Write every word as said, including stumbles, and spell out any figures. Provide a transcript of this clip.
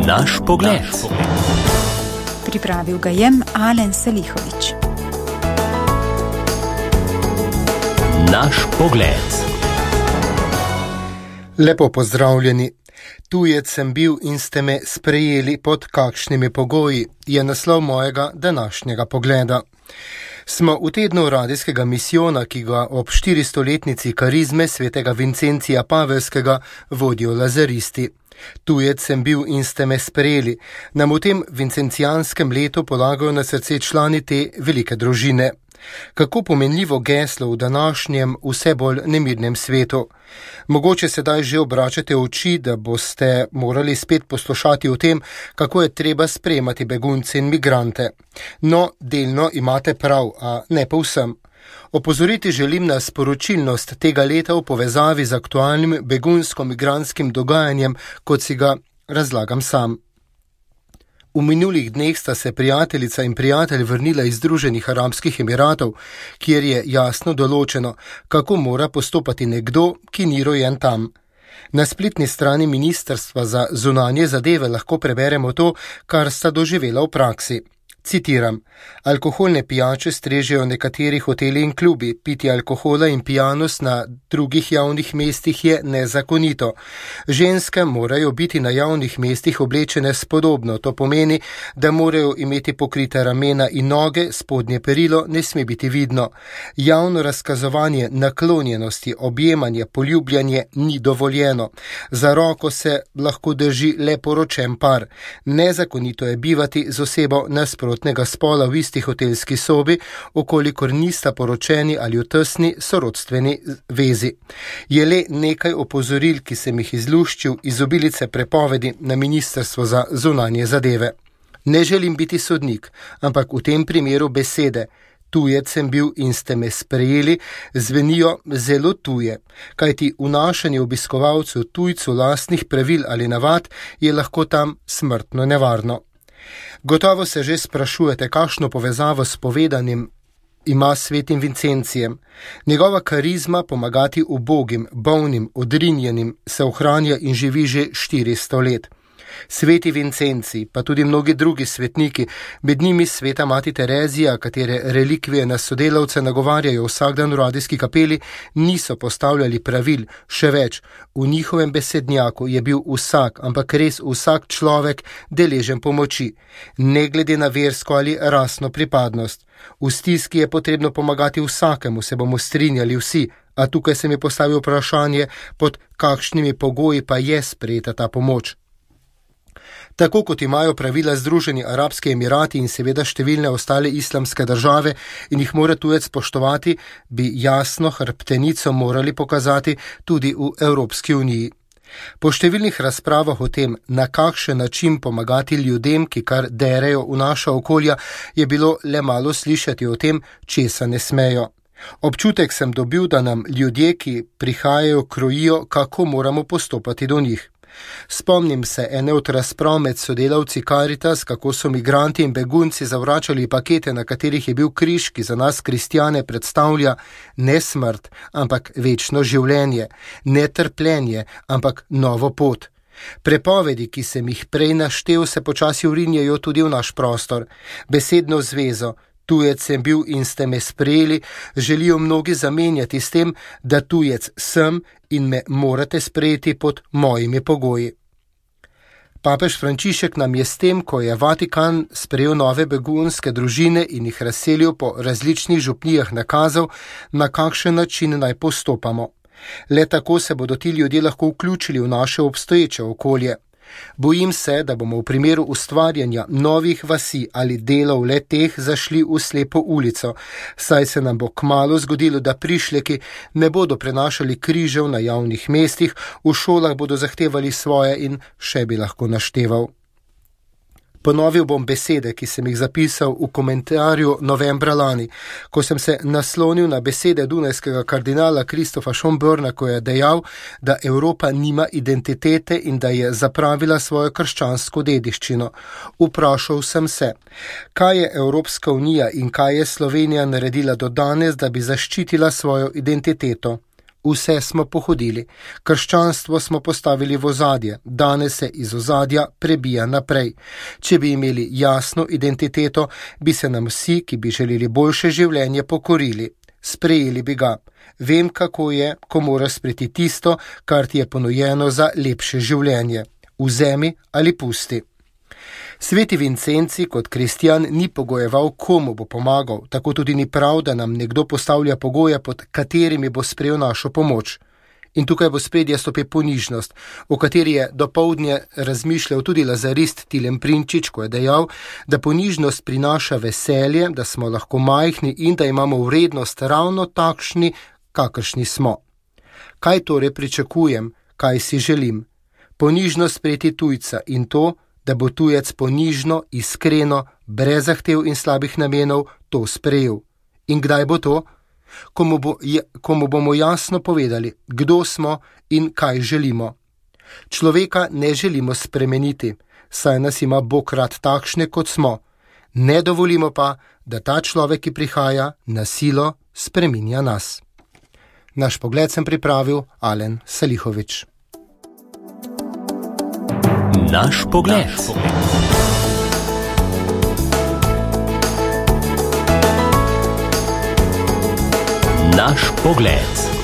Naš pogled. Pripravil ga je Alen Selihovič. Naš pogled. Lepo pozdravljeni. Tujec sem bil in ste me sprejeli pod kakšnimi pogoji, je naslov mojega današnjega pogleda. Smo v tednu radijskega misijona, ki ga ob štiristoletnici karizme svetega Vincencija Pavelskega vodijo lazaristi. Tujec sem bil in ste me sprejeli. Nam v tem vincencijanskem letu polagajo na srce člani te velike družine. Kako pomenljivo geslo v današnjem vse bolj nemirnem svetu. Mogoče sedaj že obračate oči, da boste morali spet poslušati o tem, kako je treba sprejemati begunce in migrante. No, delno imate prav, a ne povsem. Opozoriti želim na sporočilnost tega leta v povezavi z aktualnim begunsko-migrantskim dogajanjem, kot si ga razlagam sam. V minulih dneh sta se prijateljica in prijatelj vrnila iz Združenih arabskih emiratov, kjer je jasno določeno, kako mora postopati nekdo, ki ni rojen tam. Na spletni strani Ministrstva za zunanje zadeve lahko preberemo to, kar sta doživela v praksi. Citiram: alkoholne pijače strežejo nekateri hoteli in klubi, pitje alkohola in pijanost na drugih javnih mestih je nezakonito. Ženske morajo biti na javnih mestih oblečene spodobno, to pomeni, da morajo imeti pokrite ramena in noge, spodnje perilo ne sme biti vidno. Javno razkazovanje naklonjenosti, objemanje, poljubljanje ni dovoljeno. Za roko se lahko drži le poročen par. Nezakonito je bivati z osebo nasprotno spola v isti hotelski sobi, okolikor nista poročeni ali v tesni sorodstveni vezi. Je le nekaj opozoril, ki sem jih izluščil iz obilice prepovedi na Ministrstvo za zunanje zadeve. Ne želim biti sodnik, ampak v tem primeru besede tujec sem bil in ste me sprejeli zvenijo zelo tuje, kajti vnašanje obiskovalcev tujcu lastnih pravil ali navad je lahko tam smrtno nevarno. Gotovo se že sprašujete, kakšno povezavo s povedanim ima svetim Vincencijem. Njegova karizma pomagati ubogim, bolnim, odrinjenim se ohranja in živi že štiristo let. Sveti Vincenci, pa tudi mnogi drugi svetniki, med njimi sveta mati Terezija, katere relikvije na sodelavce nagovarjajo vsak dan v radijski kapeli, niso postavljali pravil, še več. V njihovem besednjaku je bil vsak, ampak res vsak človek deležen pomoči, ne glede na versko ali rasno pripadnost. V stiski je potrebno pomagati vsakemu, se bomo strinjali vsi, a tukaj se mi postavi vprašanje, pod kakšnimi pogoji pa je sprejeta ta pomoč. Tako kot imajo pravila Združeni arabski emirati in seveda številne ostale islamske države in jih mora tujec spoštovati, bi jasno hrbtenico morali pokazati tudi v Evropski uniji. Po številnih razpravah o tem, na kakšen način pomagati ljudem, ki kar derejo v naša okolja, je bilo le malo slišati o tem, česa ne smejo. Občutek sem dobil, da nam ljudje, ki prihajajo, krojijo, kako moramo postopati do njih. Spomnim se ene od razprav med sodelavci Karitas, kako so migranti in begunci zavračali pakete, na katerih je bil križ, ki za nas kristjane predstavlja ne smrt, ampak večno življenje, ne trpljenje, ampak novo pot. Prepovedi, ki sem jih prej naštel, se počasi vrinjajo tudi v naš prostor. Besedno zvezo tujec sem bil in ste me sprejeli, želijo mnogi zamenjati s tem, da tujec sem in me morate sprejeti pod mojimi pogoji. Papež Frančišek nam je s tem, ko je Vatikan sprejel nove begunske družine in jih razselil po različnih župnijah, nakazal, na kakšen način naj postopamo. Le tako se bodo ti ljudje lahko vključili v naše obstoječe okolje. Bojim se, da bomo v primeru ustvarjanja novih vasi ali delov le teh zašli v slepo ulico, saj se nam bo kmalu zgodilo, da prišleki ne bodo prenašali križev na javnih mestih, v šolah bodo zahtevali svoje in še bi lahko našteval. Ponovil bom besede, ki sem jih zapisal v komentarju novembra lani, ko sem se naslonil na besede dunajskega kardinala Kristofa Schönborna, ko je dejal, da Evropa nima identitete in da je zapravila svojo krščansko dediščino. Vprašal sem se, kaj je Evropska unija in kaj je Slovenija naredila do danes, da bi zaščitila svojo identiteto. Vse smo pohodili, krščanstvo smo postavili v ozadje, danes se iz ozadja prebija naprej. Če bi imeli jasno identiteto, bi se nam vsi, ki bi želeli boljše življenje, pokorili. Sprejeli bi ga. Vem, kako je, ko moraš sprejeti tisto, kar ti je ponujeno za lepše življenje. Vzemi ali pusti. Sveti Vincenci kot kristjan ni pogojeval, komu bo pomagal, tako tudi ni prav, da nam nekdo postavlja pogoje, pod katerimi bo sprejel našo pomoč. In tukaj v spredje stopi ponižnost, o kateri je dopoldne razmišljal tudi lazarist Tilem Prinčič, ko je dejal, da ponižnost prinaša veselje, da smo lahko majhni in da imamo vrednost ravno takšni, kakršni smo. Kaj torej pričakujem, kaj si želim? Ponižnost sprejeti tujca in to, da bo tujec ponižno, iskreno, brez zahtev in slabih namenov to sprejel. In kdaj bo to? Ko mu, bo, ko mu bomo jasno povedali, kdo smo in kaj želimo. Človeka ne želimo spremeniti, saj nas ima Bog rad takšne, kot smo. Ne dovolimo pa, da ta človek, ki prihaja, na silo spreminja nas. Naš pogled sem pripravil Alen Salihovič. Naš pogled. Naš pogled.